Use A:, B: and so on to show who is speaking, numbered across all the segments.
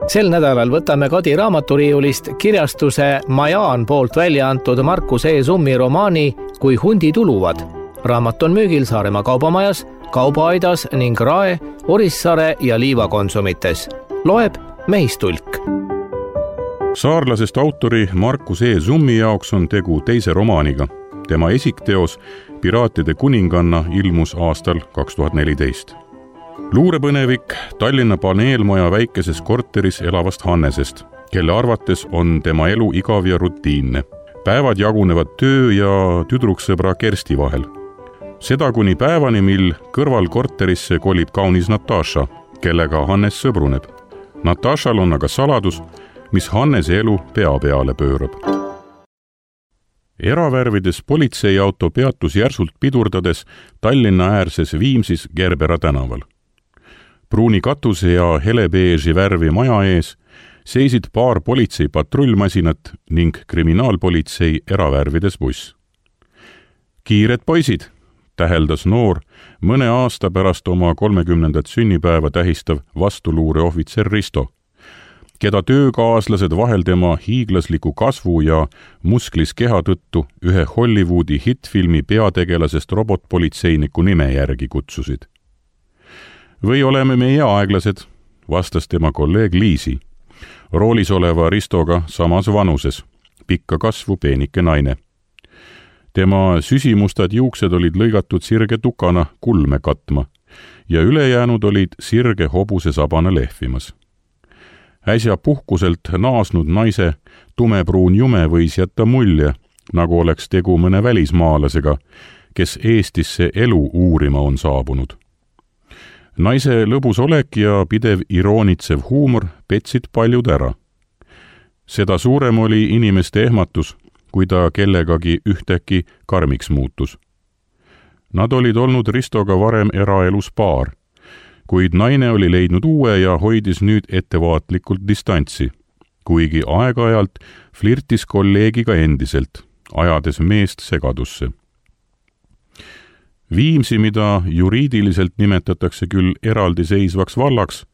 A: Sel nädalal võtame Kadi raamaturiiulist kirjastuse Majaan poolt välja antud Markus E. Summi romaani Kui hundid uluvad. Raamat on müügil Saaremaa kaubamajas, Kaubaaidas ning Rae, Orissaare ja Liiva konsumites. Loeb Mehistulk.
B: Saarlasest autori Markus E. Summi jaoks on tegu teise romaaniga. Tema esikteos Piraatide kuninganna ilmus aastal 2014. Luurepõnevik Tallinna paneelmaja väikeses korteris elavast Hannesest, kelle arvates on tema elu igav ja rutiinne. Päevad jagunevad töö ja tüdruksõbra Kersti vahel. Seda kuni päevani, mil kõrval korterisse kolib kaunis Natasha, kellega Hannes sõbruneb. Natashal on aga saladus, mis Hannese elu pea peale pöörab. Eravärvides politseiauto peatus järsult pidurdades Tallinna äärses Viimsis Gerbera tänaval. Pruuni katuse ja helebeeži värvi maja ees seisid paar politsei patrullmasinat ning kriminaalpolitsei eravärvides buss. Kiired poisid, täheldas noor mõne aasta pärast oma 30. sünnipäeva tähistav vastuluureohvitser Risto, keda töökaaslased vahel tema hiiglasliku kasvu ja musklis keha tõttu ühe Hollywoodi hittfilmi peategelasest robotpolitseiniku nime järgi kutsusid. Või oleme meie aeglased, vastas tema kolleeg Liisi, roolis oleva Ristoga samas vanuses, pikka kasvu peenike naine. Tema süsimustad juuksed olid lõigatud sirge tukana kulme katma ja ülejäänud olid sirge hobuse sabana lehvimas. Äsja puhkuselt naasnud naise tumepruun jume võis jätta mulje, nagu oleks tegu mõne välismaalasega, kes Eestisse elu uurima on saabunud. Naise lõbus olek ja pidev iroonitsev huumor petsid paljud ära. Seda suurem oli inimeste ehmatus, kui ta kellegagi ühtäkki karmiks muutus. Nad olid olnud Ristoga varem eraelus paar, kuid naine oli leidnud uue ja hoidis nüüd ettevaatlikult distantsi, kuigi aeg-ajalt flirtis kolleegiga endiselt, ajades meest segadusse. Viimsi, mida juriidiliselt nimetatakse küll eraldiseisvaks vallaks,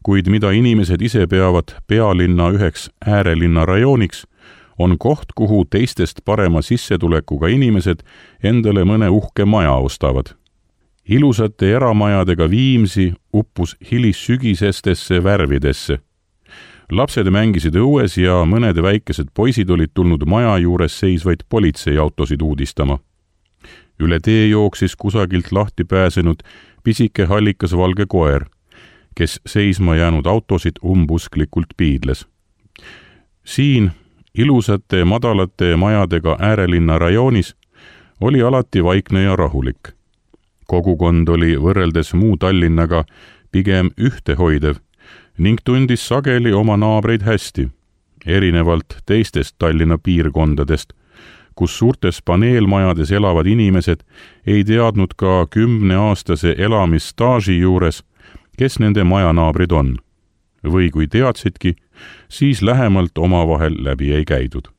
B: kuid mida inimesed ise peavad pealinna üheks äärelinna rajooniks, on koht, kuhu teistest parema sissetulekuga inimesed endale mõne uhke maja ostavad. Ilusate eramajadega Viimsi uppus hilissügisestesse värvidesse. Lapsed mängisid õues ja mõned väikesed poisid olid tulnud maja juures seisvaid politseiautosid uudistama. Üle tee jooksis kusagilt lahti pääsenud pisike hallikas valge koer, kes seisma jäänud autosid umbusklikult piidles. Siin, ilusate madalate majadega äärelinna rajoonis, oli alati vaikne ja rahulik. Kogukond oli võrreldes muu Tallinnaga pigem ühtehoidev ning tundis sageli oma naabreid hästi, erinevalt teistest Tallinna piirkondadest, kus suurtes paneelmajades elavad inimesed ei teadnud ka 10-aastase elamisstaaži juures, kes nende majanaabrid on. Või kui teadsidki, siis lähemalt omavahel läbi ei käidud.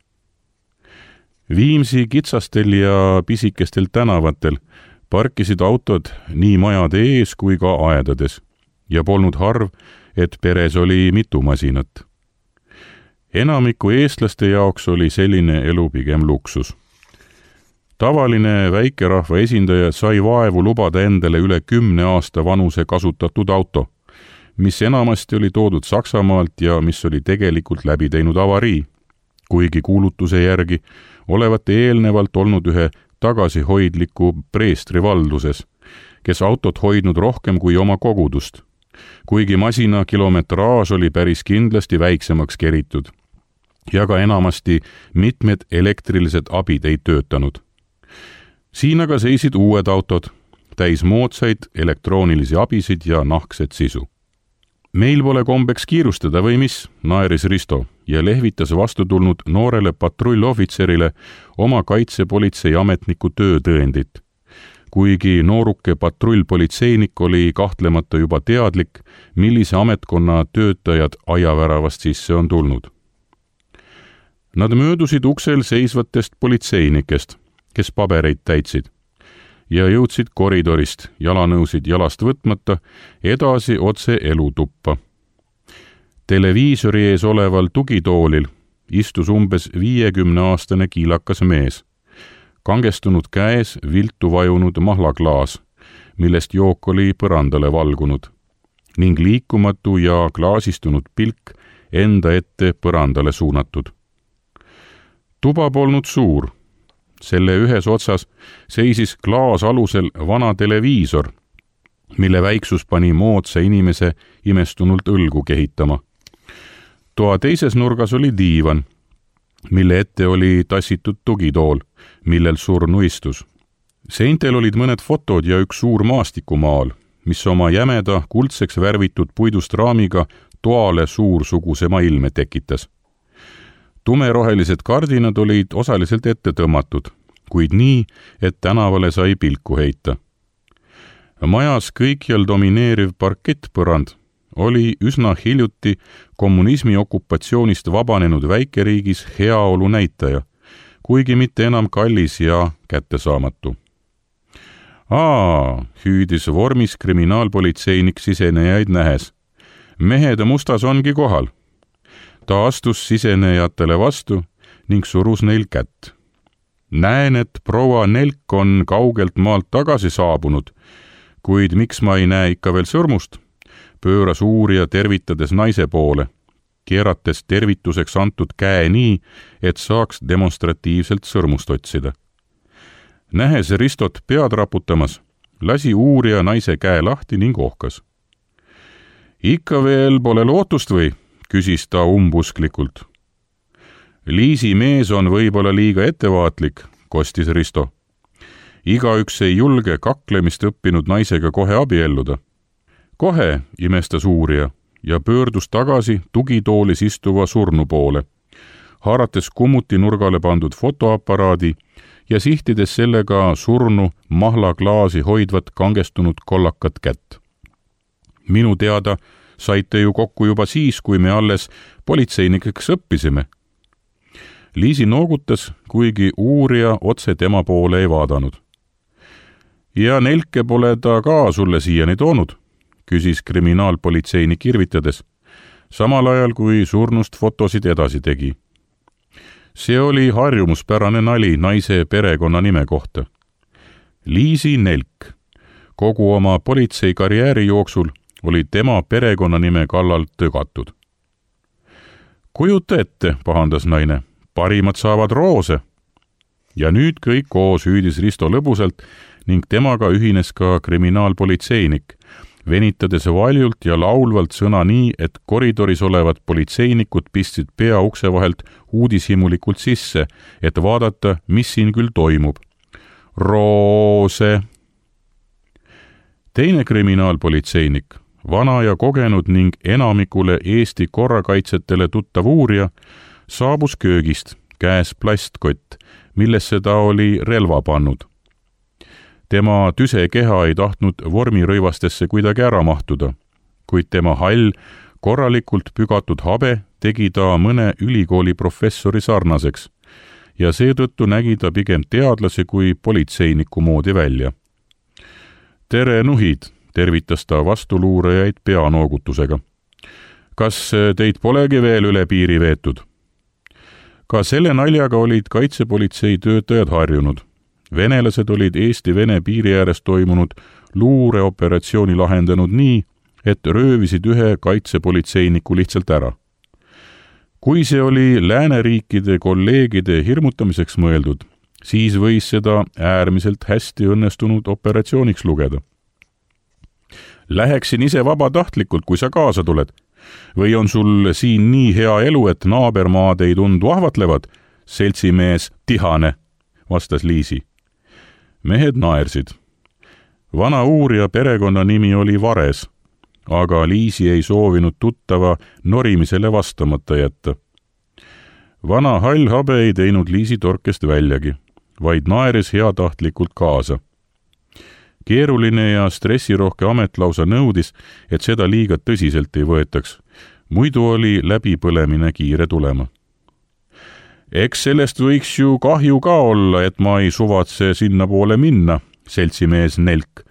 B: Viimsi kitsastel ja pisikestel tänavatel parkisid autod nii majade ees kui ka aedades ja polnud harv, et peres oli mitu masinat. Enamiku eestlaste jaoks oli selline elu pigem luksus. Tavaline väikerahva esindaja sai vaevu lubada endale üle 10 aasta vanuse kasutatud auto, mis enamasti oli toodud Saksamaalt ja mis oli tegelikult läbi teinud avarii, kuigi kuulutuse järgi olevat eelnevalt olnud ühe tagasihoidliku preestri valduses, kes autot hoidnud rohkem kui oma kogudust, kuigi masina kilometraaž oli päris kindlasti väiksemaks keritud ja ka enamasti mitmed elektrilised abid ei töötanud. Siin aga seisid uued autod, täis moodsaid elektroonilisi abisid ja nahkset sisu. Meil pole kombeks kiirustada või mis, naeris Risto ja lehvitas vastu tulnud noorele patrullohvitserile oma kaitsepolitsei ametniku töötõendit, kuigi nooruke patrullpolitseinik oli kahtlemata juba teadlik, millise ametkonna töötajad aiaväravast sisse on tulnud. Nad möödusid uksel seisvatest politseinikest, kes pabereid täitsid, ja jõudsid koridorist, jalanõusid jalast võtmata, edasi otse elutuppa. Televiisori ees oleval tugitoolil istus umbes 50-aastane kiilakas mees. Kangestunud käes viltu vajunud mahlaklaas, millest jook oli põrandale valgunud, ning liikumatu ja klaasistunud pilk enda ette põrandale suunatud. Tuba polnud suur. Selle ühes otsas seisis klaas alusel vana televiisor, mille väiksus pani moodsa inimese imestunult õlgu kehitama. Toa teises nurgas oli diivan, mille ette oli tassitud tugitool, millel surnu istus. Seintel olid mõned fotod ja üks suur maastikumaal, mis oma jämeda kuldseks värvitud puidust raamiga toale suursugusema ilme tekitas. Tumerohelised kardinad olid osaliselt ette tõmmatud, kuid nii, et tänavale sai pilku heita. Majas kõikjal domineeriv parkettpõrand oli üsna hiljuti kommunismi okupatsioonist vabanenud väikeriigis heaolu näitaja, kuigi mitte enam kallis ja kättesaamatu. Hüüdis vormis kriminaalpolitseinik sisenejaid nähes. Mehed mustas ongi kohal. Ta astus sisenejatele vastu ning surus neil kätt. Näen, et proua Nelk on kaugelt maalt tagasi saabunud, kuid miks ma ei näe ikka veel sõrmust? Pööras uurija tervitades naise poole, keerates tervituseks antud käe nii, et saaks demonstratiivselt sõrmust otsida. Nähes Ristot pead raputamas, lasi uurija naise käe lahti ning ohkas. Ikka veel pole lootust või? Küsis ta umbusklikult. Liisi mees on võib-olla liiga ettevaatlik, kostis Risto. Igaüks ei julge kaklemist õppinud naisega kohe abielluda. Kohe, imestas uurija ja pöördus tagasi tugitoolis istuva surnu poole, haarates kummuti nurgale pandud fotoaparaadi ja sihtides sellega surnu mahlaklaasi hoidvat kangestunud kollakat kätt. Minu teada saite ju kokku juba siis, kui me alles politseinikeks õppisime. Liisi noogutas, kuigi uurija otse tema poole ei vaadanud. Ja Nelke pole ta ka sulle siiani toonud, küsis kriminaalpolitseinik irvitades, samal ajal kui surnust fotosid edasi tegi. See oli harjumuspärane nali naise perekonnanime kohta. Liisi Nelk. Kogu oma politseikarjääri jooksul oli tema perekonnanime kallal tögatud. Kujuta ette, pahandas naine, parimad saavad roose. Ja nüüd kõik koos hüüdis Risto lõbusalt ning temaga ühines ka kriminaalpolitseinik, venitades valjult ja laulvalt sõna nii, et koridoris olevad politseinikud pistsid pea ukse vahelt uudishimulikult sisse, et vaadata, mis siin küll toimub. Roose! Teine kriminaalpolitseinik, vana ja kogenud ning enamikule Eesti korrakaitsetele tuttav uurija, saabus köögist, käes plastkott, millesse ta oli relva pannud. Tema tüse keha ei tahtnud vormirõivastesse kuidagi ära mahtuda, kuid tema hall, korralikult pügatud habe tegi ta mõne ülikooli professori sarnaseks ja seetõttu nägi ta pigem teadlase kui politseiniku moodi välja. Tere, nuhid, tervitas ta vastuluurajaid peanoogutusega. Kas teid polegi veel üle piiri veetud? Ka selle naljaga olid kaitsepolitsei töötajad harjunud. Venelased olid Eesti-Vene piiri ääres toimunud luureoperatsiooni lahendanud nii, et röövisid ühe kaitsepolitseiniku lihtsalt ära. Kui see oli lääneriikide kolleegide hirmutamiseks mõeldud, siis võis seda äärmiselt hästi õnnestunud operatsiooniks lugeda. Läheksin ise vabatahtlikult, kui sa kaasa tuled. Või on sul siin nii hea elu, et naabermaad ei tundu ahvatlevad? Seltsimees Tihane, vastas Liisi. Mehed naersid. Vana uurija perekonnanimi oli Vares, aga Liisi ei soovinud tuttava norimisele vastamata jätta. Vana hall habe ei teinud Liisi torkest väljagi, vaid naeris heatahtlikult kaasa. Keeruline ja stressirohke amet lausa nõudis, et seda liiga tõsiselt ei võetaks, muidu oli läbipõlemine kiire tulema. Eks sellest võiks ju kahju ka olla, et ma ei suvatse sinna poole minna, seltsimees Nelk.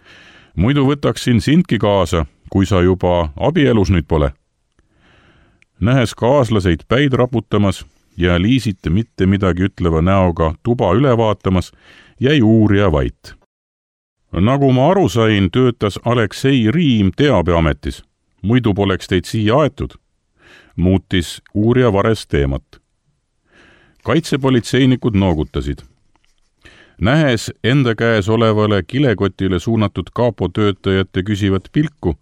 B: Muidu võtaksin sindki kaasa, kui sa juba abielus nüüd pole. Nähes kaaslaseid päid raputamas ja Liisit mitte midagi ütleva näoga tuba üle vaatamas, jäi uurija vait. Nagu ma aru sain, töötas Aleksei Riim teabeametis. Muidu poleks teid siia aetud. Muutis uurija vares teemat. Kaitsepolitseinikud noogutasid. Nähes enda käes olevale kilekotile suunatud kapo töötajate küsivat pilku,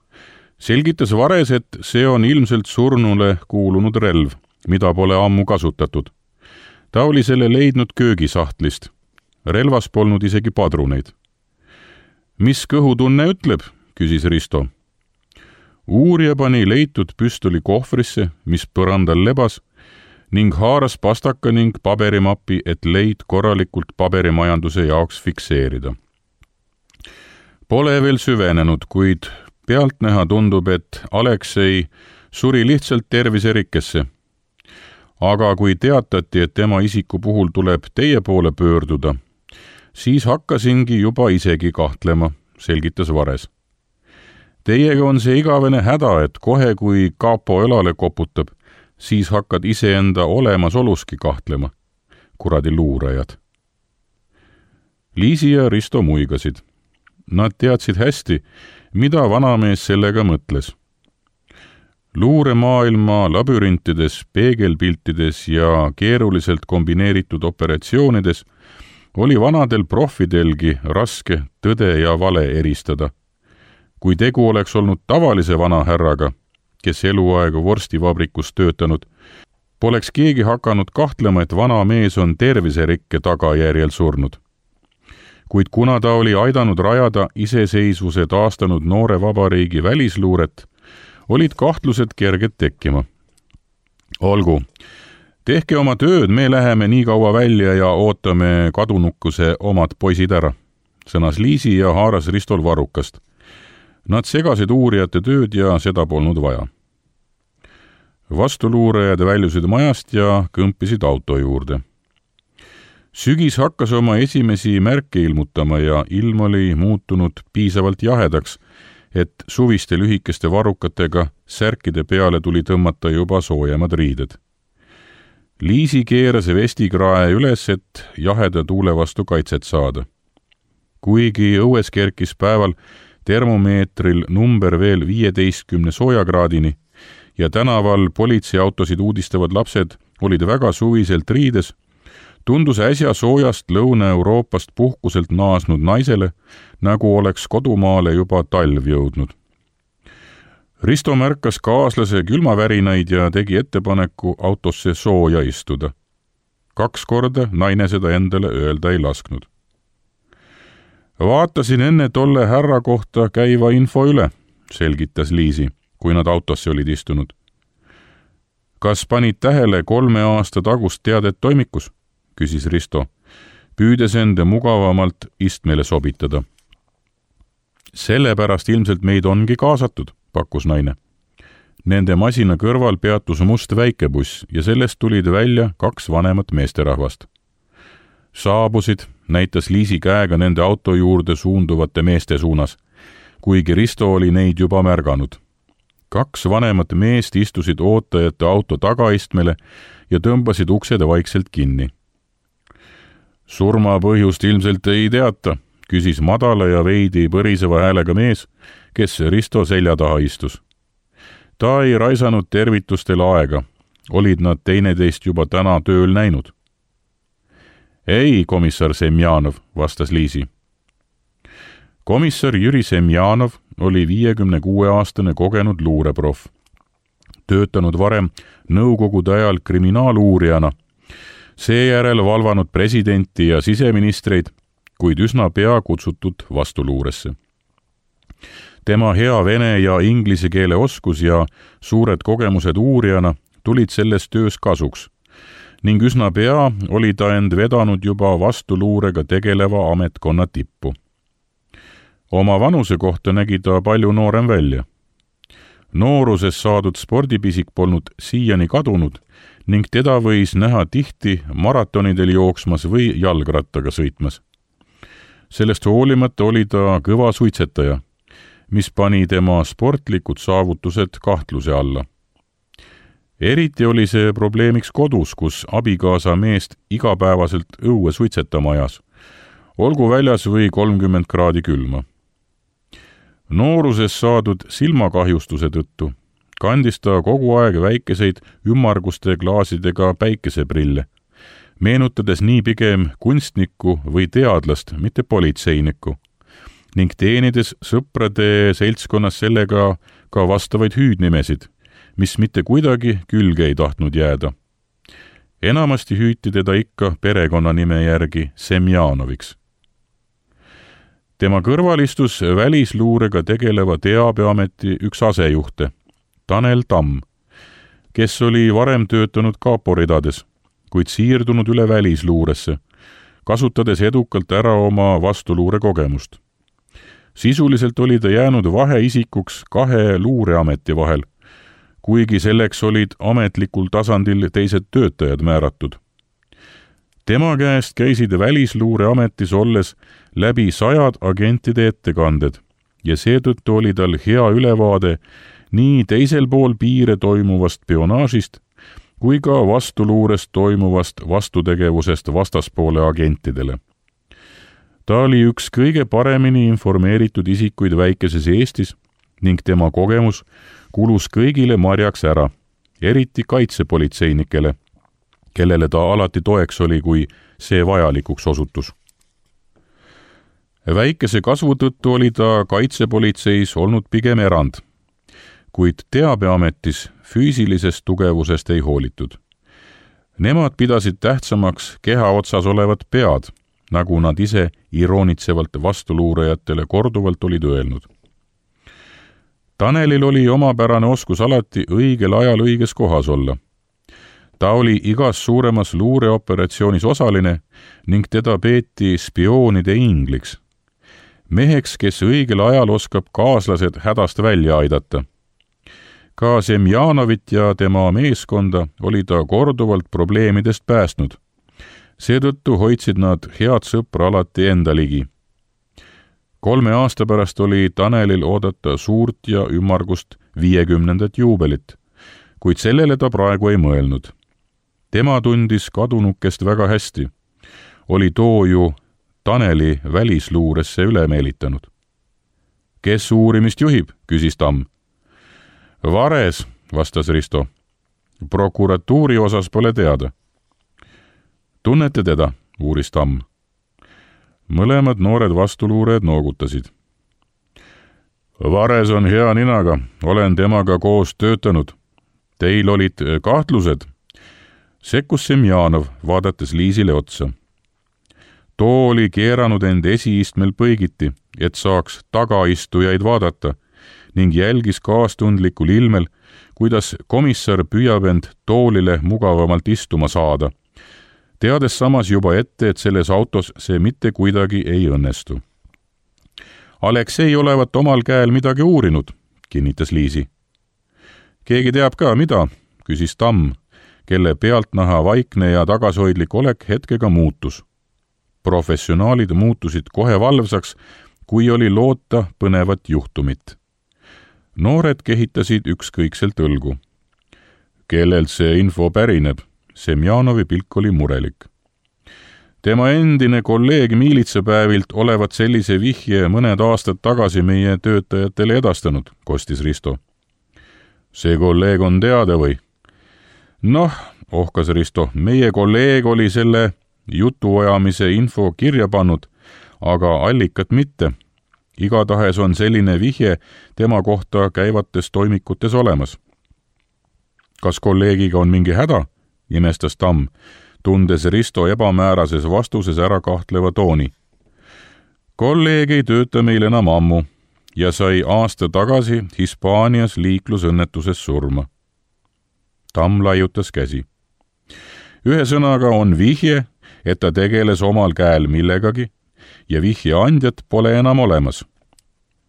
B: selgitas vares, et see on ilmselt surnule kuulunud relv, mida pole ammu kasutatud. Ta oli selle leidnud köögisahtlist. Relvas polnud isegi padruneid. Mis kõhutunne ütleb, küsis Risto. Uurija pani leitud püstoli kohvrisse, mis põrandal lebas, ning haaras pastaka ning paberimapi, et leid korralikult paberimajanduse jaoks fikseerida. Pole veel süvenenud, kuid pealtnäha tundub, et Aleksei suri lihtsalt terviserikkesse. Aga kui teatati, et tema isiku puhul tuleb teie poole pöörduda, siis hakkasingi juba isegi kahtlema, selgitas vares. Teiega on see igavene häda, et kohe kui kapo õlale koputab, siis hakkad iseenda olemasoluski kahtlema. Kuradi luurajad. Liisi ja Risto muigasid. Nad teadsid hästi, mida vanamees sellega mõtles. Luuremaailma labürintides, peegelpiltides ja keeruliselt kombineeritud operatsioonides oli vanadel profidelgi raske tõde ja vale eristada. Kui tegu oleks olnud tavalise vanahärraga, kes eluaega vorstivabrikus töötanud, poleks keegi hakanud kahtlema, et vana mees on terviserikke tagajärjel surnud. Kuid kuna ta oli aidanud rajada iseseisvuse taastanud noore vabariigi välisluuret, olid kahtlused kerged tekkima. Olgu, tehke oma tööd, me läheme nii kaua välja ja ootame kadunukuse omad poisid ära, sõnas Liisi ja haaras Ristol varrukast. Nad segasid uurijate tööd ja seda polnud vaja. Vastuluurajad väljusid majast ja kõmpisid auto juurde. Sügis hakkas oma esimesi märke ilmutama ja ilm oli muutunud piisavalt jahedaks, et suviste lühikeste varrukatega särkide peale tuli tõmmata juba soojemad riided. Liisi keeras vestikrae üles, et jaheda tuule vastu kaitset saada. Kuigi õues kerkis päeval termomeetril number veel 15 soojakraadini ja tänaval politseiautosid uudistavad lapsed olid väga suviselt riides, tundus äsja soojast Lõuna-Euroopast puhkuselt naasnud naisele, nagu oleks kodumaale juba talv jõudnud. Risto märkas kaaslase külmavärinaid ja tegi ettepaneku autosse sooja istuda. 2 korda naine seda endale öelda ei lasknud. Vaatasin enne tolle härra kohta käiva info üle, selgitas Liisi, kui nad autosse olid istunud. Kas panid tähele 3 aasta tagust teadet toimikus, küsis Risto, püüdes enda mugavamalt istmele sobitada. Sellepärast ilmselt meid ongi kaasatud, pakkus naine. Nende masina kõrval peatus must väikebuss ja sellest tulid välja 2 vanemat meesterahvast. Saabusid, näitas Liisi käega nende auto juurde suunduvate meeste suunas, kuigi Risto oli neid juba märganud. 2 vanemat meest istusid ootajate auto tagaistmele ja tõmbasid uksed vaikselt kinni. Surma põhjust ilmselt ei teata, küsis madala ja veidi põriseva häälega mees, kes Risto selja taha istus. Ta ei raisanud tervitustel aega, olid nad teineteist juba täna tööl näinud. Ei, komissar Semjanov, vastas Liisi. Komissar Jüri Semjanov oli 56-aastane kogenud luureproff. Töötanud varem nõukogude ajal kriminaaluurijana, seejärel valvanud presidenti ja siseministreid, kuid üsna pea kutsutud vastuluuresse. Tema hea vene ja inglise keele oskus ja suured kogemused uurijana tulid selles töös kasuks ning üsna pea oli ta end vedanud juba vastuluurega tegeleva ametkonna tippu. Oma vanuse kohta nägi ta palju noorem välja. Nooruses saadud spordipisik polnud siiani kadunud ning teda võis näha tihti maratonidel jooksmas või jalgrattaga sõitmas. Sellest hoolimata oli ta kõva suitsetaja, mis pani tema sportlikud saavutused kahtluse alla. eriti oli see probleemiks kodus, kus abikaasa meest igapäevaselt õue suitsetama ajas, olgu väljas või 30 kraadi külma. Nooruses saadud silmakahjustuse tõttu kandis ta kogu aeg väikeseid ümmarguste klaasidega päikeseprille, meenutades nii pigem kunstnikku või teadlast, mitte politseinikku, ning teenides sõprade seltskonnas sellega ka vastavaid hüüdnimesid, mis mitte kuidagi külge ei tahtnud jääda. Enamasti hüüti teda ikka perekonnanime järgi Semjanoviks. Tema kõrval istus välisluurega tegeleva teabeameti üks asejuhte, Tanel Tamm, kes oli varem töötanud kapo ridades, kuid siirdunud üle välisluuresse, kasutades edukalt ära oma vastuluure kogemust. Sisuliselt oli ta jäänud vaheisikuks 2 luureameti vahel, kuigi selleks olid ametlikul tasandil teised töötajad määratud. Tema käest käisid välisluureametis olles läbi 100 agentide ettekanded ja seetõttu oli tal hea ülevaade nii teisel pool piire toimuvast spionaažist kui ka vastuluurest toimuvast vastutegevusest vastaspoole agentidele. Ta oli üks kõige paremini informeeritud isikuid väikeses Eestis ning tema kogemus kulus kõigile marjaks ära, eriti kaitsepolitseinikele, kellele ta alati toeks oli, kui see vajalikuks osutus. Väikese kasvu tõttu oli ta kaitsepolitseis olnud pigem erand, kuid teabeametis füüsilisest tugevusest ei hoolitud. Nemad pidasid tähtsamaks keha otsas olevat pead, nagu nad ise iroonitsevalt vastuluurajatele korduvalt olid öelnud. Tanelil oli omapärane oskus alati õigel ajal õiges kohas olla. Ta oli igas suuremas luureoperatsioonis osaline ning teda peeti spioonide ingliks. Meheks, kes õigel ajal oskab kaaslased hädast välja aidata. Ka Semjanovit ja tema meeskonda oli ta korduvalt probleemidest päästnud. Seetõttu hoidsid nad head sõpra alati enda ligi. 3 aasta pärast oli Tanelil oodata suurt ja ümmargust 50. juubelit, kuid sellele ta praegu ei mõelnud. Tema tundis kadunukest väga hästi. Oli too ju Taneli välisluuresse üle meelitanud. Kes uurimist juhib, küsis Tamm. Vares, vastas Risto. Prokuratuuri osas pole teada. Tunnete teda, uuris Tamm. Mõlemad noored vastuluurejad noogutasid. Vares on hea ninaga, olen temaga koos töötanud. Teil olid kahtlused? Sekkus Semjanov, vaadates Liisile otsa. Too oli keeranud end esiistmel põigiti, et saaks tagaistujaid vaadata ning jälgis kaastundlikul ilmel, kuidas komissar püüab end toolile mugavamalt istuma saada, teades samas juba ette, et selles autos see mitte kuidagi ei õnnestu. Aleksei olevat omal käel midagi uurinud, kinnitas Liisi. Keegi teab ka, mida, küsis Tamm, kelle pealtnaha vaikne ja tagasihoidlik olek hetkega muutus. Professionaalid muutusid kohe valvsaks, kui oli loota põnevat juhtumit. Noored kehitasid ükskõikselt õlgu. Kellelt see info pärineb? Semjanovi pilk oli murelik. Tema endine kolleeg miilitsapäevilt olevat sellise vihje mõned aastad tagasi meie töötajatele edastanud, kostis Risto. See kolleeg on teada või? Noh, ohkas Risto, meie kolleeg oli selle jutuajamise info kirja pannud, aga allikat mitte. Igatahes on selline vihje tema kohta käivates toimikutes olemas. Kas kolleegiga on mingi häda? Imestas Tamm, tundes Risto ebamäärases vastuses ära kahtleva tooni. Kolleeg ei tööta meil enam ammu ja sai aasta tagasi Hispaanias liiklusõnnetuses surma. Tamm laiutas käsi. Ühesõnaga on vihje, et ta tegeles omal käel millegagi ja vihje andjat pole enam olemas.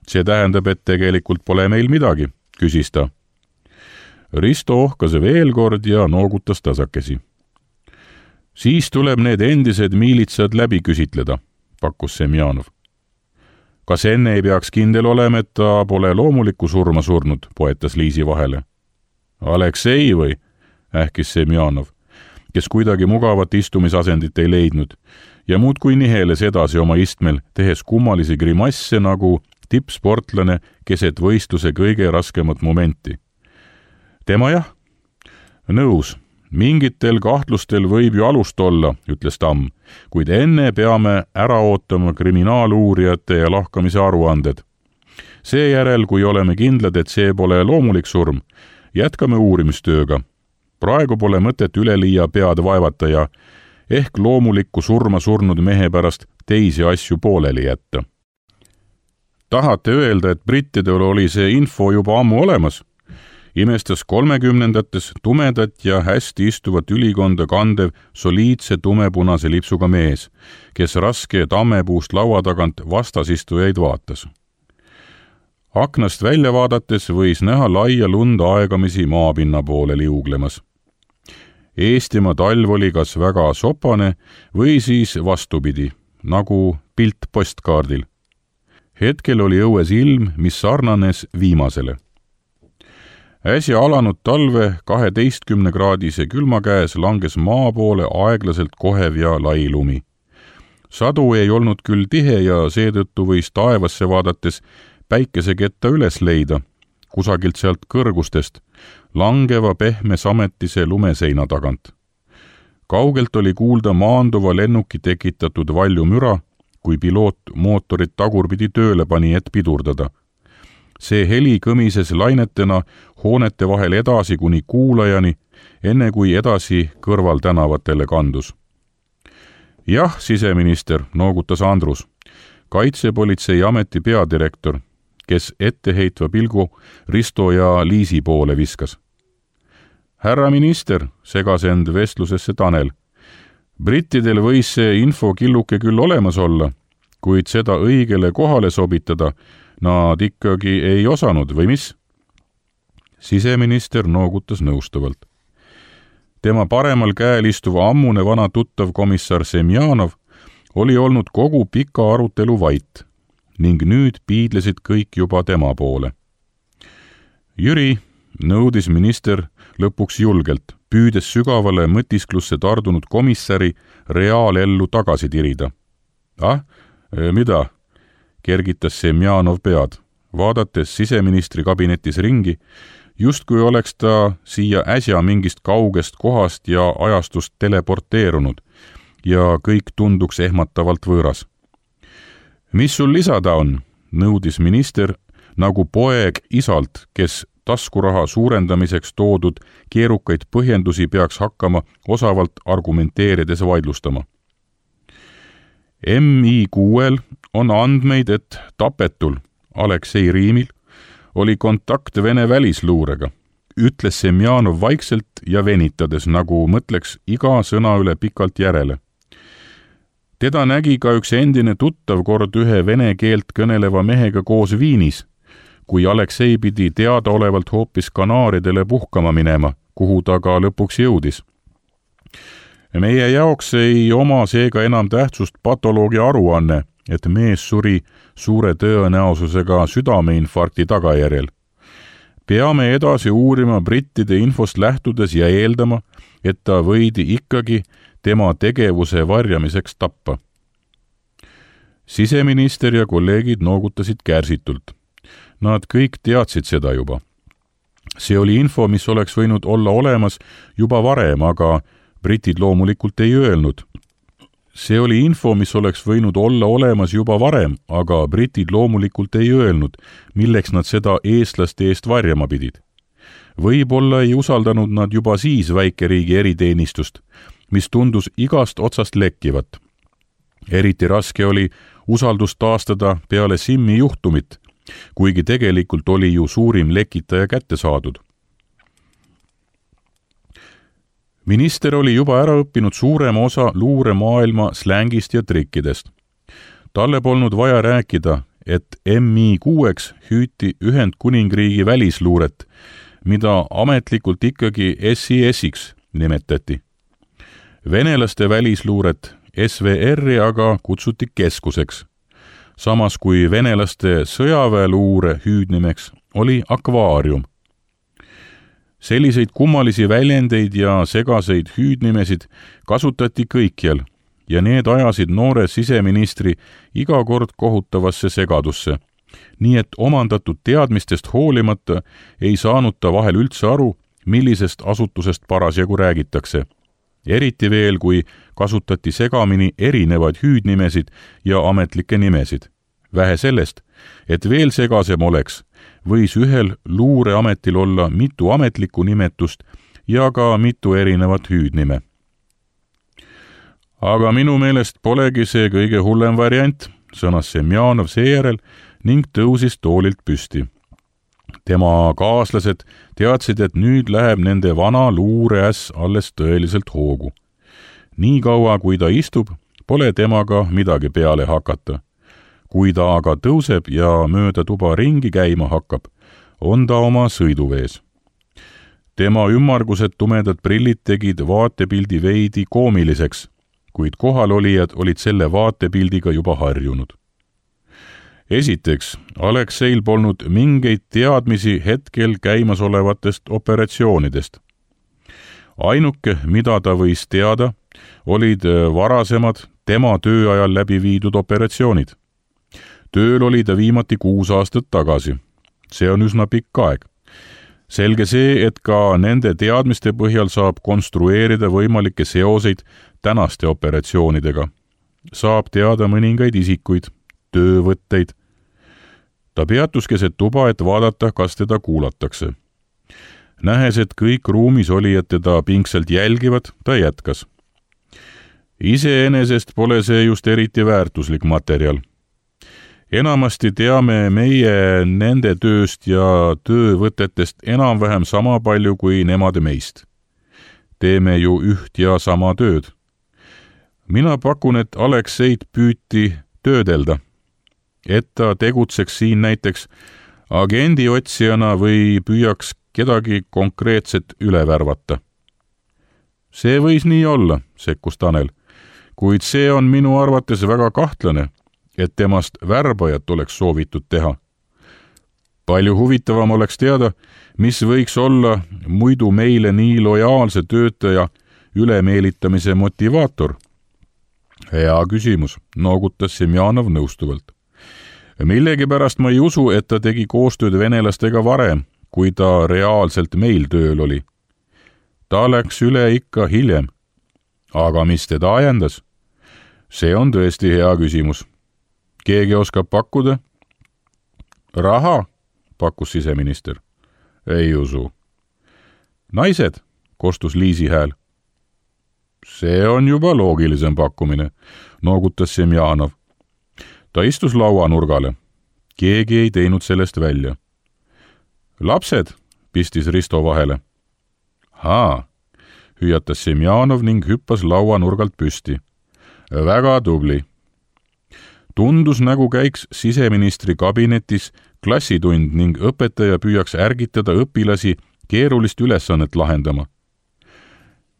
B: See tähendab, et tegelikult pole meil midagi, küsis ta. Risto ohkas veel kord ja noogutas tasakesi. Siis tuleb need endised miilitsad läbi küsitleda, pakkus Semjanov. Kas enne ei peaks kindel olema, et ta pole loomulikku surma surnud, poetas Liisi vahele. Aleksei või? ähkis Semjanov, kes kuidagi mugavat istumisasendit ei leidnud ja muudkui niheles edasi oma istmel, tehes kummalisi grimasse nagu tippsportlane keset võistluse kõige raskemat momenti. Tema jah? Nõus, mingitel kahtlustel võib ju alust olla, ütles Tamm, kuid enne peame ära ootama kriminaaluurijate ja lahkamise aruanded. Seejärel, kui oleme kindlad, et see pole loomulik surm, jätkame uurimistööga. Praegu pole mõtet üleliia pead vaevata ja ehk loomulikku surma surnud mehe pärast teisi asju pooleli jätta. Tahate öelda, et brittidel oli see info juba ammu olemas? Imestas 30-ndates tumedat ja hästi istuvat ülikonda kandev soliidse tumepunase lipsuga mees, kes raske tammepuust laua tagant vastasistujaid vaatas. Aknast välja vaadates võis näha laia lund aegamisi maapinna poole liuglemas. Eestimaa talv oli kas väga sopane või siis vastupidi, nagu pilt postkaardil. Hetkel oli õues ilm, mis sarnanes viimasele. Äsja alanud talve 12-kraadise külma käes langes maa poole aeglaselt kohev ja lai lumi. Sadu ei olnud küll tihe ja seetõttu võis taevasse vaadates päikeseketta üles leida, kusagilt sealt kõrgustest, langeva pehme sametise lumeseina tagant. Kaugelt oli kuulda maanduva lennuki tekitatud valju müra, kui piloot mootorit tagurpidi tööle pani, et pidurdada. See heli kõmises lainetena hoonete vahel edasi kuni kuulajani, enne kui edasi kõrvaltänavatele kandus. Jah, siseminister, noogutas Andrus, Kaitsepolitseiameti peadirektor, kes etteheitva pilgu Risto ja Liisi poole viskas. Härra minister, segas end vestlusesse Tanel. Brittidel võis see infokilluke küll olemas olla, kuid seda õigele kohale sobitada nad ikkagi ei osanud, või mis? Siseminister noogutas nõustavalt. Tema paremal käel istuv ammune vana tuttav komissar Semjanov oli olnud kogu pika arutelu vait ning nüüd piidlesid kõik juba tema poole. Jüri, nõudis minister lõpuks julgelt, püüdes sügavale mõtisklusse tardunud komissari reaalellu tagasi tirida. Mida? Kergitas Semjanov pead, vaadates siseministri kabinetis ringi, justkui oleks ta siia äsja mingist kaugest kohast ja ajastust teleporteerunud ja kõik tunduks ehmatavalt võõras. Mis sul lisada on? Nõudis minister nagu poeg isalt, kes taskuraha suurendamiseks toodud keerukaid põhjendusi peaks hakkama osavalt argumenteerides vaidlustama. MI6-l on andmeid, et tapetul Aleksei Riimil oli kontakt Vene välisluurega, ütles Semjanov vaikselt ja venitades, nagu mõtleks iga sõna üle pikalt järele. Teda nägi ka üks endine tuttav kord ühe vene keelt kõneleva mehega koos Viinis, kui Aleksei pidi teadaolevalt hoopis Kanaaridele puhkama minema, kuhu ta ka lõpuks jõudis. Meie jaoks ei oma seega enam tähtsust patoloogia aruanne, et mees suri suure tõenäosusega südameinfarkti tagajärjel. Peame edasi uurima brittide infost lähtudes ja eeldama, et ta võidi ikkagi tema tegevuse varjamiseks tappa. Siseminister ja kolleegid noogutasid kärsitult. Nad kõik teadsid seda juba. See oli info, mis oleks võinud olla olemas juba varem, aga britid loomulikult ei öelnud. See oli info, mis oleks võinud olla olemas juba varem, aga britid loomulikult ei öelnud, milleks nad seda eestlaste eest varjama pidid. Võib-olla ei usaldanud nad juba siis väikeriigi eriteenistust, mis tundus igast otsast lekkivat. Eriti raske oli usaldust taastada peale Simmi juhtumit, kuigi tegelikult oli ju suurim lekitaja kätte saadud. Minister oli juba ära õppinud suurema osa luuremaailma slängist ja trikkidest. Talle polnud vaja rääkida, et MI6-ks hüüti Ühendkuningriigi välisluuret, mida ametlikult ikkagi SIS-iks nimetati. Venelaste välisluuret SVR-i aga kutsuti keskuseks, samas kui venelaste sõjaväeluure hüüdnimeks oli akvaarium. Selliseid kummalisi väljendeid ja segaseid hüüdnimesid kasutati kõikjal ja need ajasid noore siseministri iga kord kohutavasse segadusse, nii et omandatud teadmistest hoolimata ei saanud ta vahel üldse aru, millisest asutusest parasjagu räägitakse. Eriti veel, kui kasutati segamini erinevaid hüüdnimesid ja ametlikke nimesid. Vähe sellest, et veel segasem oleks, võis ühel luureametil olla mitu ametlikku nimetust ja ka mitu erinevat hüüdnime. Aga minu meelest polegi see kõige hullem variant, sõnas Semjonov seejärel ning tõusis toolilt püsti. Tema kaaslased teadsid, et nüüd läheb nende vana luureäss alles tõeliselt hoogu. Nii kaua, kui ta istub, pole temaga midagi peale hakata. Kui ta aga tõuseb ja mööda tuba ringi käima hakkab, on ta oma sõiduvees. Tema ümmargused tumedad prillid tegid vaatepildi veidi koomiliseks, kuid kohalolijad olid selle vaatepildiga juba harjunud. Esiteks, Alekseil polnud mingeid teadmisi hetkel käimasolevatest operatsioonidest. Ainuke, mida ta võis teada, olid varasemad tema tööajal läbi viidud operatsioonid. Tööl oli ta viimati 6 aastat tagasi. See on üsna pikk aeg. Selge see, et ka nende teadmiste põhjal saab konstrueerida võimalikke seoseid tänaste operatsioonidega. Saab teada mõningaid isikuid, töövõtteid. Ta peatus keset tuba, et vaadata, kas teda kuulatakse. Nähes, et kõik ruumis olijad teda pingsalt jälgivad, ta jätkas. Iseenesest pole see just eriti väärtuslik materjal. Enamasti teame meie nende tööst ja töövõtetest enam-vähem sama palju kui nemad meist. Teeme ju üht ja sama tööd. Mina pakun, et Alekseid püüti töödelda, et ta tegutseks siin näiteks agendiotsijana või püüaks kedagi konkreetset üle värvata. See võis nii olla, sekkus Tanel, kuid see on minu arvates väga kahtlane, et temast värbajat oleks soovitud teha. Palju huvitavam oleks teada, mis võiks olla muidu meile nii lojaalse töötaja ülemeelitamise motivaator. Hea küsimus, noogutas Semjonov nõustuvalt. Millegipärast ma ei usu, et ta tegi koostööd venelastega varem, kui ta reaalselt meil tööl oli. Ta läks üle ikka hiljem. Aga mis teda ajendas? See on tõesti hea küsimus. Keegi oskab pakkuda? Raha, pakkus siseminister. Ei usu. Naised, kostus Liisi hääl. See on juba loogilisem pakkumine, noogutas Semjonov. Ta istus lauanurgale. Keegi ei teinud sellest välja. Lapsed, pistis Risto vahele. Haa, hüüatas Semjonov ning hüppas lauanurgalt püsti. Väga tubli. Tundus, nagu käiks siseministri kabinetis klassitund ning õpetaja püüaks ärgitada õpilasi keerulist ülesannet lahendama.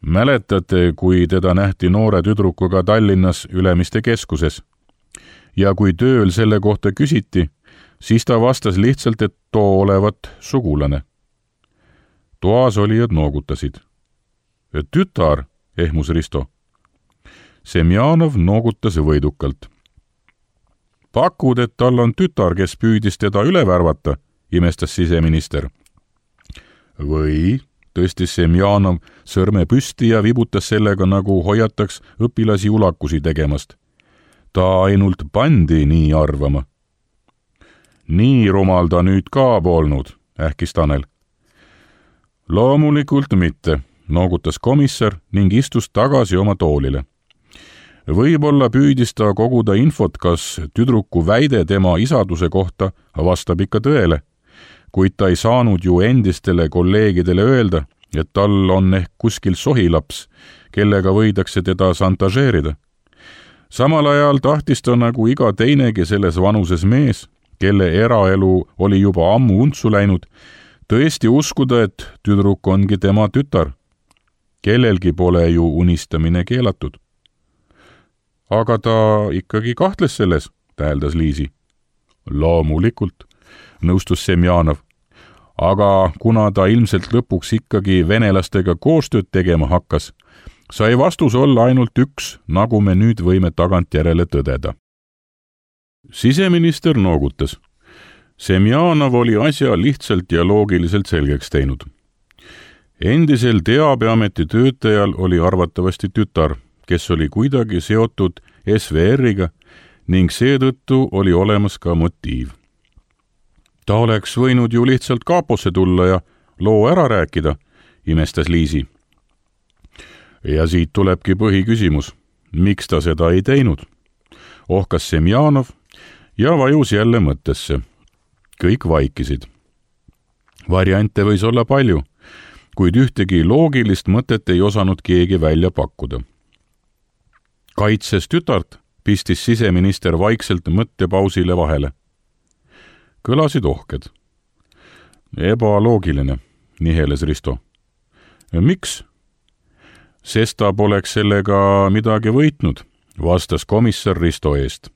B: Mäletate, kui teda nähti noore tüdrukuga Tallinnas Ülemiste keskuses? Ja kui tööl selle kohta küsiti, siis ta vastas lihtsalt, et too olevat sugulane. Toas olijad noogutasid. Tütar, ehmus Risto. Semjonov noogutas võidukalt. Pakud, et tal on tütar, kes püüdis teda üle värvata, imestas siseminister. Või, tõstis Semjonov sõrme püsti ja vibutas sellega, nagu hoiataks õpilasi ulakusi tegemast. Ta ainult pandi nii arvama. Nii rumal ta nüüd ka polnud, ähkis Tanel. Loomulikult mitte, noogutas komissar ning istus tagasi oma toolile. Võib-olla püüdis ta koguda infot, kas tüdruku väide tema isaduse kohta vastab ikka tõele, kuid ta ei saanud ju endistele kolleegidele öelda, et tal on ehk kuskil sohilaps, kellega võidakse teda šantažeerida. Samal ajal tahtis ta nagu iga teinegi selles vanuses mees, kelle eraelu oli juba ammu untsu läinud, tõesti uskuda, et tüdruk ongi tema tütar. Kellelgi pole ju unistamine keelatud. Aga ta ikkagi kahtles selles, täheldas Liisi. Loomulikult, nõustus Semjonov. aga kuna ta ilmselt lõpuks ikkagi venelastega koostööd tegema hakkas, sai vastus olla ainult üks, nagu me nüüd võime tagantjärele tõdeda. Siseminister noogutas. Semjanov oli asja lihtsalt ja loogiliselt selgeks teinud. Endisel teabeameti töötajal oli arvatavasti tütar, kes oli kuidagi seotud SVR-iga ning seetõttu oli olemas ka motiiv. Ta oleks võinud ju lihtsalt kaaposse tulla ja loo ära rääkida, imestas Liisi. Ja siit tulebki põhiküsimus, miks ta seda ei teinud? Ohkas Semjanov ja vajus jälle mõttesse. Kõik vaikisid. Variante võis olla palju, kuid ühtegi loogilist mõtet ei osanud keegi välja pakkuda. Kaitses tütart, pistis siseminister vaikselt mõttepausile vahele. Kõlasid ohked. Ebaloogiline, niheles Risto. Miks? Sest ta poleks sellega midagi võitnud, vastas komissar Risto eest.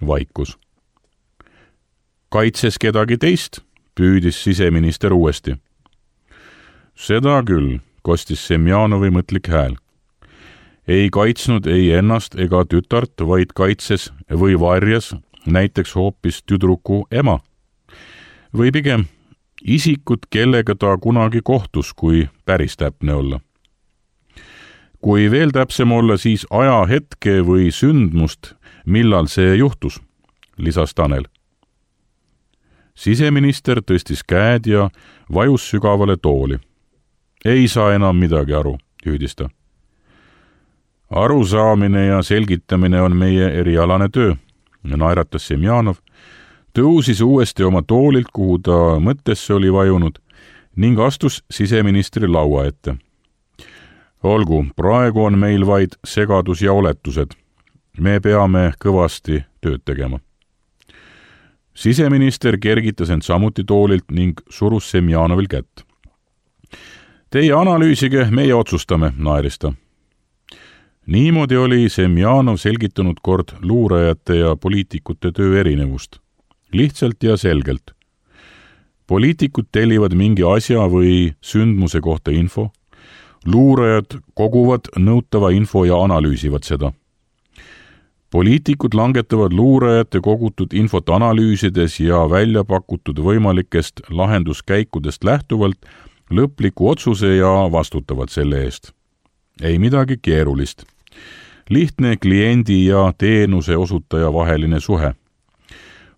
B: Vaikus. Kaitses kedagi teist, püüdis siseminister uuesti. Seda küll, kostis Semjanovi mõtlik hääl. Ei kaitsnud ei ennast ega tütart, vaid kaitses või varjas näiteks hoopis tüdruku ema. Või pigem isikut, kellega ta kunagi kohtus, kui päris täpne olla. Kui veel täpsem olla, siis ajahetke või sündmust, millal see juhtus, lisas Tanel. Siseminister tõstis käed ja vajus sügavale tooli. Ei saa enam midagi aru, hüüdis ta. Arusaamine ja selgitamine on meie erialane töö, naeratas Semjanov, tõusis uuesti oma toolilt, kuhu ta mõttesse oli vajunud, ning astus siseministri laua ette. Olgu, praegu on meil vaid segadus ja oletused. Me peame kõvasti tööd tegema. Siseminister kergitas end samuti toolilt ning surus Semjanovil kätt. Teie analüüsige, meie otsustame, naeris ta. Niimoodi oli Semjanov selgitanud kord luurajate ja poliitikute töö erinevust. Lihtsalt ja selgelt. Poliitikud tellivad mingi asja või sündmuse kohta info, luurajad koguvad nõutava info ja analüüsivad seda. Poliitikud langetavad luurajate kogutud infot analüüsides ja välja pakutud võimalikest lahenduskäikudest lähtuvalt lõpliku otsuse ja vastutavad selle eest. Ei midagi keerulist. Lihtne kliendi ja teenuse osutaja vaheline suhe.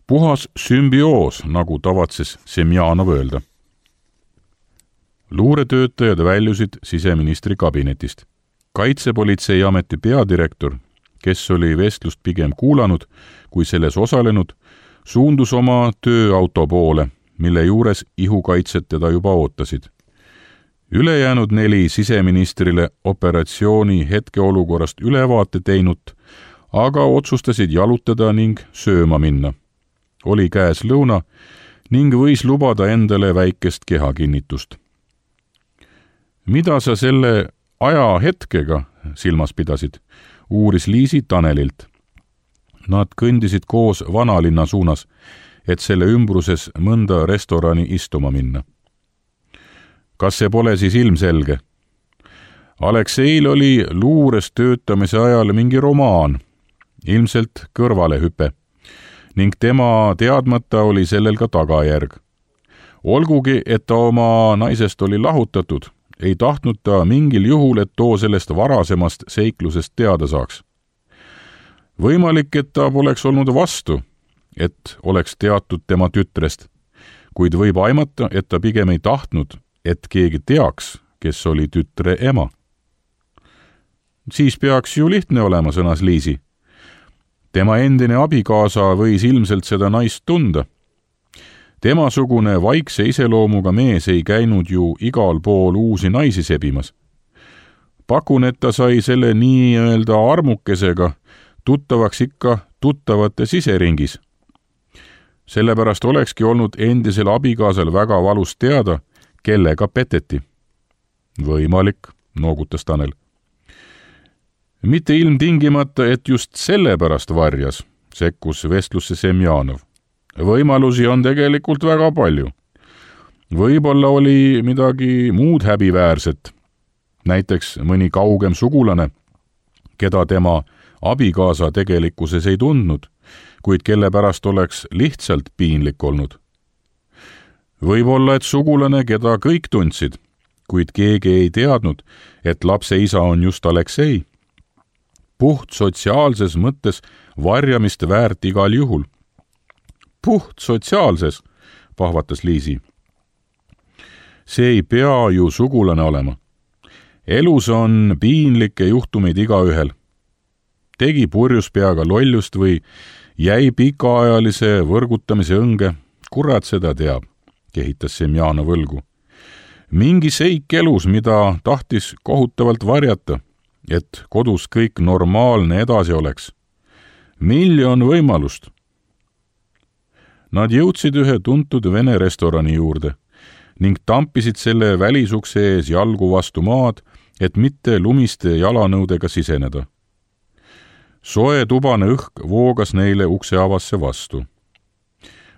B: Puhas sümbioos, nagu tavatses Semjanov öelda. Luuretöötajad väljusid siseministri kabinetist. Kaitsepolitseiameti peadirektor, kes oli vestlust pigem kuulanud kui selles osalenud, suundus oma tööauto poole, mille juures ihukaitsed teda juba ootasid. Ülejäänud 4 siseministrile operatsiooni hetkeolukorrast ülevaate teinut, aga otsustasid jalutada ning sööma minna. Oli käes lõuna ning võis lubada endale väikest kehakinnitust. Mida sa selle ajahetkega silmas pidasid, uuris Liisi Tanelilt. Nad kõndisid koos vanalinna suunas, et selle ümbruses mõnda restorani istuma minna. Kas see pole siis ilmselge? Alekseil oli luures töötamise ajal mingi romaan, ilmselt kõrvalehüpe, ning tema teadmata oli sellel ka tagajärg. Olgugi, et ta oma naisest oli lahutatud, ei tahtnud ta mingil juhul, et too sellest varasemast seiklusest teada saaks. Võimalik, et ta poleks olnud vastu, et oleks teatud tema tütrest, kuid võib aimata, et ta pigem ei tahtnud, et keegi teaks, kes oli tütre ema. Siis peaks ju lihtne olema, sõnas Liisi. Tema endine abikaasa võis ilmselt seda naist tunda. Temasugune vaikse iseloomuga mees ei käinud ju igal pool uusi naisi sebimas. Pakun, et ta sai selle nii-öelda armukesega tuttavaks ikka tuttavate siseringis. Sellepärast olekski olnud endisel abikaasal väga valus teada, kellega peteti. Võimalik, noogutas Tanel. Mitte ilmtingimata, et just sellepärast varjas, sekkus vestlusse Semjanov. Võimalusi on tegelikult väga palju. Võib-olla oli midagi muud häbiväärset, näiteks mõni kaugem sugulane, keda tema abikaasa tegelikkuses ei tundnud, kuid kelle pärast oleks lihtsalt piinlik olnud. Võib-olla, et sugulane, keda kõik tundsid, kuid keegi ei teadnud, et lapse isa on just Aleksei. Puht sotsiaalses mõttes varjamist väärt igal juhul. Puht sotsiaalses, pahvatas Liisi. See ei pea ju sugulane olema. Elus on piinlikke juhtumeid igaühel. Tegi purjus peaga lollust või jäi pikaajalise võrgutamise õnge, kurat seda teab, kehitas Semjanov õlgu. Mingi seik elus, mida tahtis kohutavalt varjata, et kodus kõik normaalne edasi oleks. 1 miljon võimalust. Nad jõudsid ühe tuntud vene restorani juurde ning tampisid selle välisukse ees jalgu vastu maad, et mitte lumiste jalanõudega siseneda. Soe tubane õhk voogas neile ukseavasse vastu.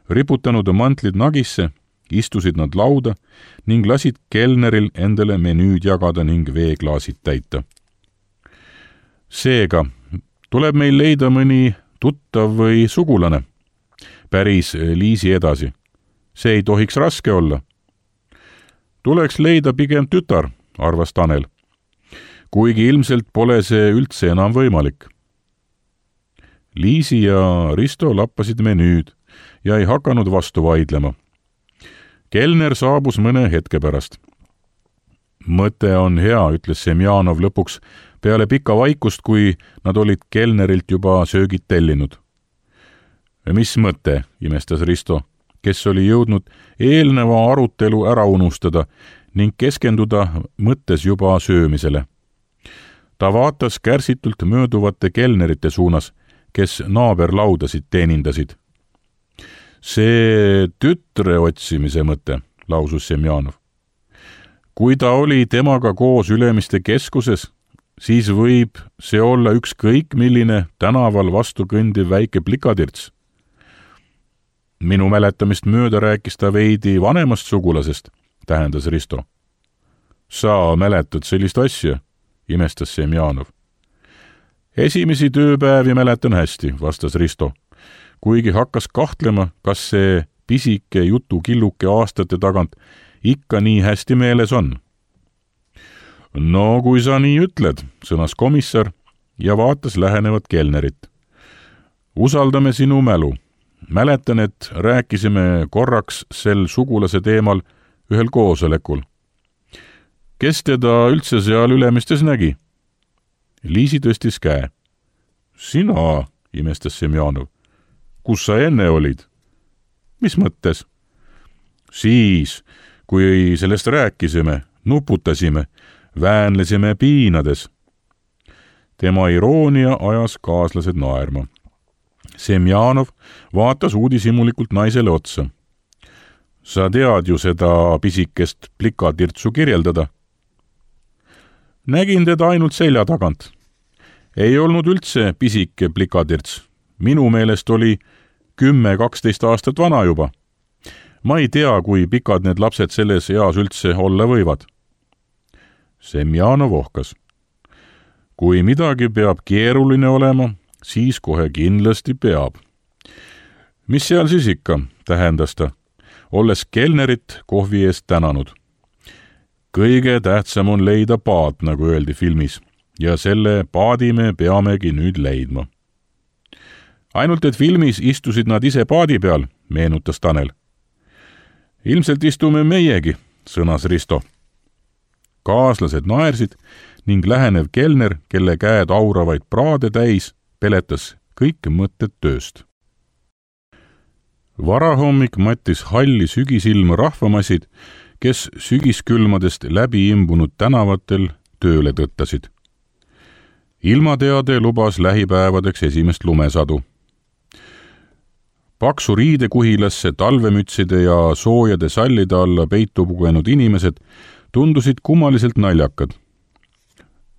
B: Riputanud mantlid nagisse, istusid nad lauda ning lasid kelneril endale menüüd jagada ning veeklaasid täita. Seega tuleb meil leida mõni tuttav või sugulane, päris Liisi edasi. See ei tohiks raske olla. Tuleks leida pigem tütar, arvas Tanel, kuigi ilmselt pole see üldse enam võimalik. Liisi ja Risto lappasid menüüd ja ei hakanud vastu vaidlema. Kelner saabus mõne hetke pärast. Mõte on hea, ütles Semjanov lõpuks peale pika vaikust, kui nad olid kelnerilt juba söögid tellinud. Mis mõte, imestas Risto, kes oli jõudnud eelneva arutelu ära unustada ning keskenduda mõttes juba söömisele. Ta vaatas kärsitult mööduvate kelnerite suunas, kes naaberlaudasid teenindasid. See tütre otsimise mõte, lausus Semjanov. Kui ta oli temaga koos Ülemiste keskuses, siis võib see olla ükskõik milline tänaval vastu kõndiv väike plikatirts. Minu mäletamist mööda rääkis ta veidi vanemast sugulasest, tähendas Risto. Sa mäletad sellist asja, imestas Semjanov. Esimesi tööpäevi mäletan hästi, vastas Risto, kuigi hakkas kahtlema, kas see pisike jutukilluke aastate tagant ikka nii hästi meeles on. No kui sa nii ütled, sõnas komissar ja vaatas lähenevat kelnerit. Usaldame sinu mälu. Mäletan, et rääkisime korraks sel sugulase teemal ühel koosolekul. Kes teda üldse seal Ülemistes nägi? Liisi tõstis käe. Sina, imestas Semjanov. Kus sa enne olid? Mis mõttes? Siis, kui sellest rääkisime, nuputasime, väänlesime piinades. Tema iroonia ajas kaaslased naerma. Semjanov vaatas uudishimulikult naisele otsa. Sa tead ju seda pisikest plikatirtsu kirjeldada? Nägin teda ainult selja tagant. Ei olnud üldse pisike plikatirts. Minu meelest oli 10-12 aastat vana juba. Ma ei tea, kui pikad need lapsed selles eas üldse olla võivad. Semjanov ohkas. Kui midagi peab keeruline olema, siis kohe kindlasti peab. Mis seal siis ikka, tähendas ta, olles kelnerit kohvi eest tänanud. Kõige tähtsam on leida paat, nagu öeldi filmis, ja selle paadi me peamegi nüüd leidma. Ainult et filmis istusid nad ise paadi peal, meenutas Tanel. Ilmselt istume meiegi, sõnas Risto. Kaaslased naersid ning lähenev kelner, kelle käed auravaid praade täis, peletas kõik mõtted tööst. Varahommik mattis halli sügisilma rahvamassid, kes sügiskülmadest läbi imbunud tänavatel tööle tõttasid. Ilmateade lubas lähipäevadeks esimest lumesadu. Paksu riidekuhilasse talvemütside ja soojade sallide alla peitu pugenud inimesed tundusid kummaliselt naljakad.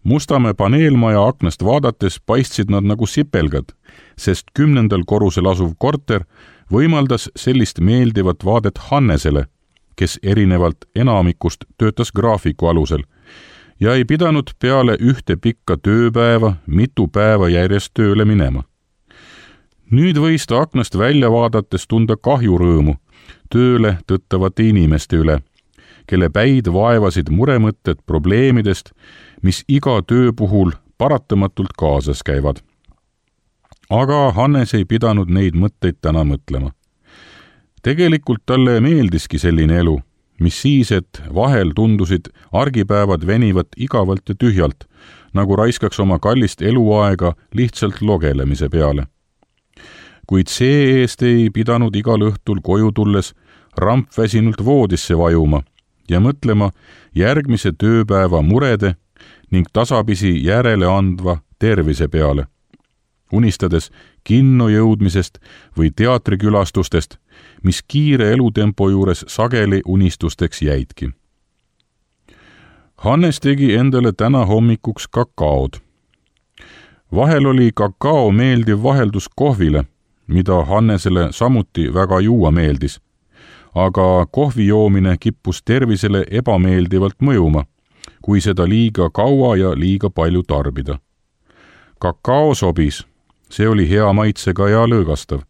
B: Mustamäe paneelmaja aknast vaadates paistsid nad nagu sipelgad, sest 10. korrusel asuv korter võimaldas sellist meeldivat vaadet Hannesele, kes erinevalt enamikust töötas graafiku alusel ja ei pidanud peale ühte pikka tööpäeva mitu päeva järjest tööle minema. Nüüd võis ta aknast välja vaadates tunda kahjurõõmu tööle tõttavate inimeste üle, kelle päid vaevasid muremõtted probleemidest, mis iga töö puhul paratamatult kaasas käivad. Aga Hannes ei pidanud neid mõtteid täna mõtlema. Tegelikult talle meeldiski selline elu, mis siis, et vahel tundusid argipäevad venivat igavalt ja tühjalt, nagu raiskaks oma kallist eluaega lihtsalt logelemise peale. Kuid see-eest ei pidanud igal õhtul koju tulles rampväsinult voodisse vajuma ja mõtlema järgmise tööpäeva murede ning tasapisi järele andva tervise peale, unistades kinno jõudmisest või teatrikülastustest, mis kiire elutempo juures sageli unistusteks jäidki. Hannes tegi endale täna hommikuks kakaod. Vahel oli kakao meeldiv vaheldus kohvile, mida Hannesele samuti väga juua meeldis, aga kohvi joomine kippus tervisele ebameeldivalt mõjuma, kui seda liiga kaua ja liiga palju tarbida. Kakao sobis, see oli hea maitsega ja lõõgastav.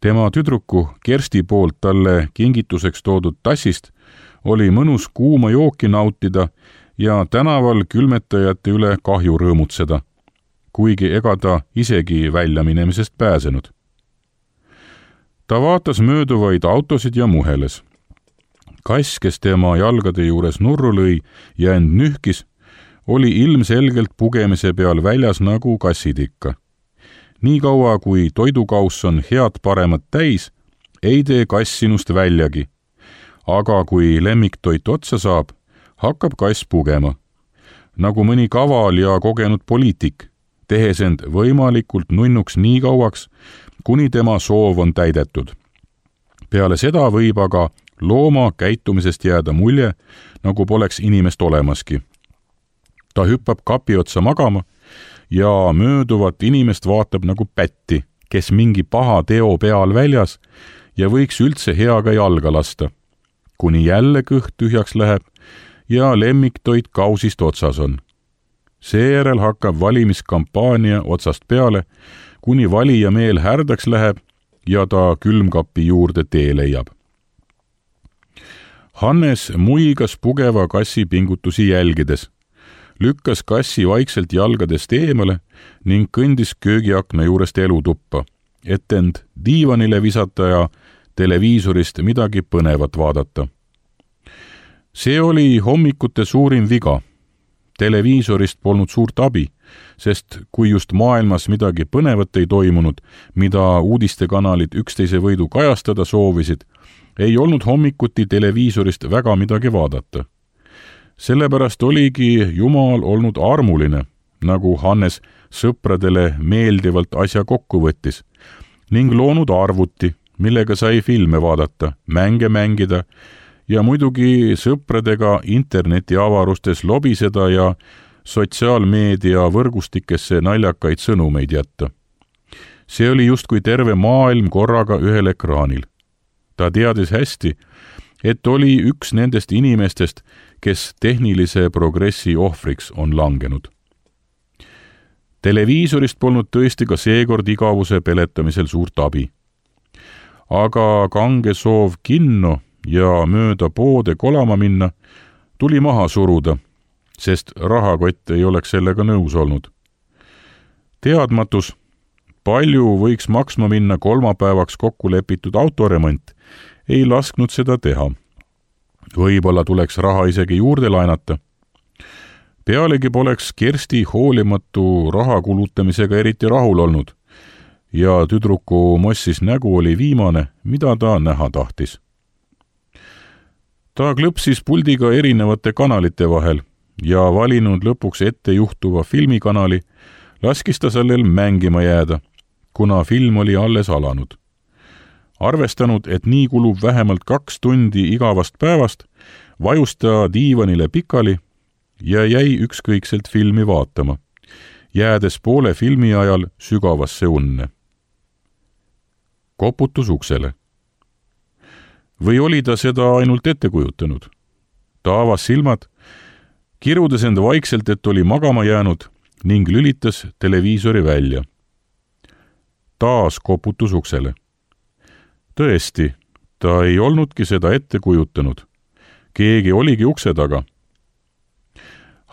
B: Tema tüdruku Kersti poolt talle kingituseks toodud tassist oli mõnus kuuma jooki nautida ja tänaval külmetajate üle kahju rõõmutseda, kuigi ega ta isegi väljaminemisest pääsenud. Ta vaatas mööduvaid autosid ja muheles. Kass, kes tema jalgade juures nurru lõi ja end nühkis, oli ilmselgelt pugemise peal väljas nagu kassid ikka. Nii kaua, kui toidukauss on head paremat täis, ei tee kass sinust väljagi. Aga kui lemmiktoit otsa saab, hakkab kass pugema. Nagu mõni kaval ja kogenud poliitik, tehes end võimalikult nunnuks nii kauaks, kuni tema soov on täidetud. Peale seda võib aga looma käitumisest jääda mulje, nagu poleks inimest olemaski. Ta hüppab kapi otsa magama ja mööduvat inimest vaatab nagu pätti, kes mingi paha teo peal väljas ja võiks üldse heaga jalga lasta, kuni jälle kõht tühjaks läheb ja lemmiktoit kausist otsas on. Seejärel hakkab valimiskampaania otsast peale, kuni valija meel härdaks läheb ja ta külmkapi juurde tee leiab. Hannes muigas pugeva kassi pingutusi jälgides, lükkas kassi vaikselt jalgadest eemale ning kõndis köögiakna juurest elutuppa, et end diivanile visata ja televiisorist midagi põnevat vaadata. See oli hommikute suurim viga. Televiisorist polnud suurt abi, sest kui just maailmas midagi põnevat ei toimunud, mida uudistekanalid üksteise võidu kajastada soovisid, ei olnud hommikuti televiisorist väga midagi vaadata. Sellepärast oligi Jumal olnud armuline, nagu Hannes sõpradele meeldivalt asja kokku võttis, ning loonud arvuti, millega sai filme vaadata, mänge mängida ja muidugi sõpradega internetiavarustes lobiseda ja sotsiaalmeedia võrgustikesse naljakaid sõnumeid jätta. See oli justkui terve maailm korraga ühel ekraanil. Ta teadis hästi, et oli üks nendest inimestest, kes tehnilise progressi ohvriks on langenud. Televiisorist polnud tõesti ka seekord igavuse peletamisel suurt abi. Aga kange soov kinno ja mööda poode kolama minna tuli maha suruda, sest rahakott ei oleks sellega nõus olnud. Teadmatus, palju võiks maksma minna kolmapäevaks kokku lepitud autoremont, ei lasknud seda teha. Võib-olla tuleks raha isegi juurde laenata. Pealegi poleks Kersti hoolimatu raha kulutamisega eriti rahul olnud ja tüdruku mossis nägu oli viimane, mida ta näha tahtis. Ta klõpsis puldiga erinevate kanalite vahel ja valinud lõpuks ette juhtuva filmikanali, laskis ta sellel mängima jääda, kuna film oli alles alanud. Arvestanud, et nii kulub vähemalt 2 tundi igavast päevast, vajus ta diivanile pikali ja jäi ükskõikselt filmi vaatama, jäädes poole filmi ajal sügavasse unne. Koputus uksele. või oli ta seda ainult ette kujutanud? Ta avas silmad, kirudes end vaikselt, et oli magama jäänud ning lülitas televiisori välja. Taas koputus uksele. Tõesti, ta ei olnudki seda ette kujutanud. Keegi oligi ukse taga.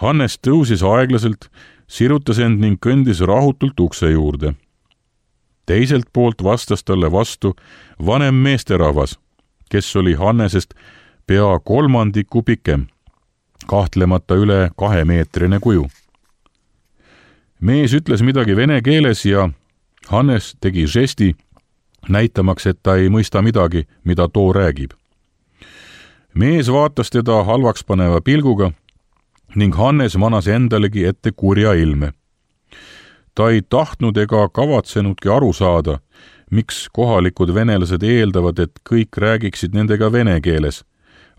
B: Hannes tõusis aeglaselt, sirutas end ning kõndis rahutult ukse juurde. Teiselt poolt vastas talle vastu vanem meesterahvas, kes oli Hannesest pea 1/3 pikem, kahtlemata üle 2-meetrine kuju. Mees ütles midagi vene keeles ja Hannes tegi žesti, näitamaks, et ta ei mõista midagi, mida too räägib. Mees vaatas teda halvaks paneva pilguga ning Hannes manas endalegi ette kurja ilme. Ta ei tahtnud ega kavatsenudki aru saada, miks kohalikud venelased eeldavad, et kõik räägiksid nendega vene keeles,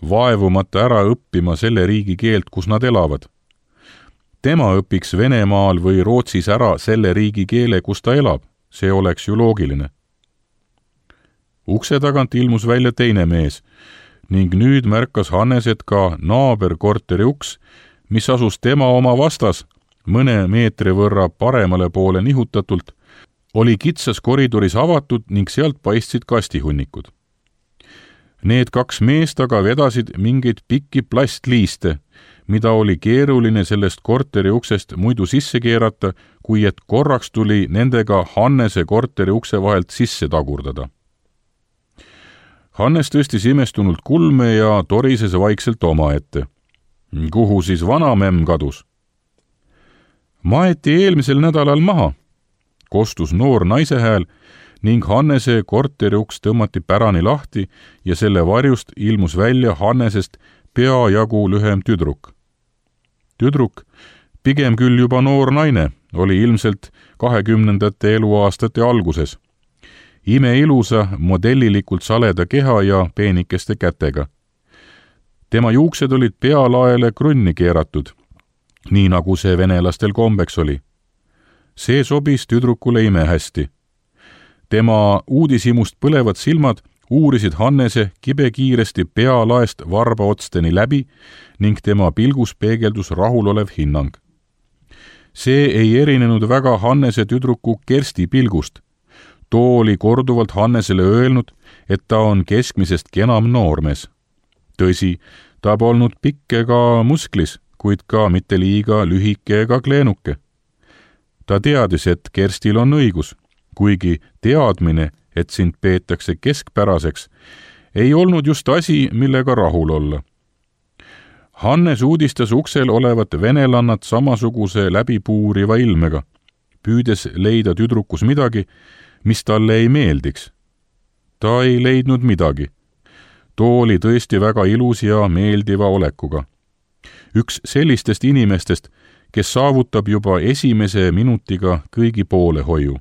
B: vaevumata ära õppima selle riigi keelt, kus nad elavad. Tema õpiks Venemaal või Rootsis ära selle riigi keele, kus ta elab, see oleks ju loogiline. Ukse tagant ilmus välja teine mees ning nüüd märkas Hannes, et ka naaberkorteri uks, mis asus tema oma vastas, mõne meetri võrra paremale poole nihutatult, oli kitsas koridoris avatud ning sealt paistsid kastihunnikud. Need 2 meest aga vedasid mingeid pikki plastliiste, mida oli keeruline sellest korteri uksest muidu sisse keerata, kui et korraks tuli nendega Hannese korteri ukse vahelt sisse tagurdada. Hannes tõstis imestunult kulme ja torises vaikselt omaette. Kuhu siis vanamemm kadus? Maeti eelmisel nädalal maha, kostus noor naise hääl ning Hannese korteri uks tõmmati pärani lahti ja selle varjust ilmus välja Hannesest peajagu lühem tüdruk. Tüdruk, pigem küll juba noor naine, oli ilmselt 20. eluaastate alguses. Imeilusa, modellilikult saleda keha ja peenikeste kätega. Tema juuksed olid pealaele krunni keeratud, nii nagu see venelastel kombeks oli. See sobis tüdrukule imehästi. Tema uudishimust põlevad silmad uurisid Hannese kibekiiresti pealaest varbaotsteni läbi ning tema pilgus peegeldus rahulolev hinnang. See ei erinenud väga Hannese tüdruku Kersti pilgust. Too oli korduvalt Hannesele öelnud, et ta on keskmisest kenam noormees. Tõsi, ta polnud pikk ega musklis, kuid ka mitte liiga lühike ega kleenuke. Ta teadis, et Kerstil on õigus, kuigi teadmine, et sind peetakse keskpäraseks, ei olnud just asi, millega rahul olla. Hannes uudistas uksel olevat venelannat samasuguse läbipuuriva ilmega, püüdes leida tüdrukus midagi, mis talle ei meeldiks. Ta ei leidnud midagi. Too oli tõesti väga ilus ja meeldiva olekuga. Üks sellistest inimestest, kes saavutab juba esimese minutiga kõigi poolehoiu.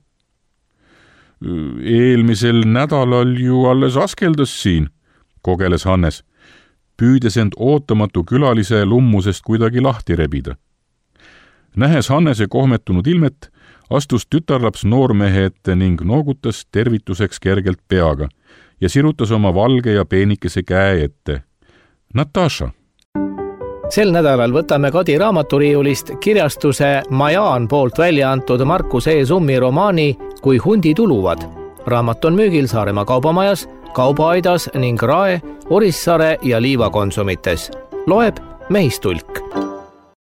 B: Eelmisel nädalal ju alles askeldas siin, kogeles Hannes, püüdes end ootamatu külalise lummusest kuidagi lahti rebida. Nähes Hannese kohmetunud ilmet, astus tütarlaps noormehe ette ning noogutas tervituseks kergelt peaga ja sirutas oma valge ja peenikese käe ette. Natasha.
A: Sel nädalal võtame Kadi raamaturiiulist kirjastuse Majaan poolt välja antud Markus E. Summi romaani Kui hundid uluvad. Raamat on müügil Saaremaa kaubamajas, Kaubaaidas ning Rae, Orissaare ja Liiva konsumites. Loeb Mehistulk.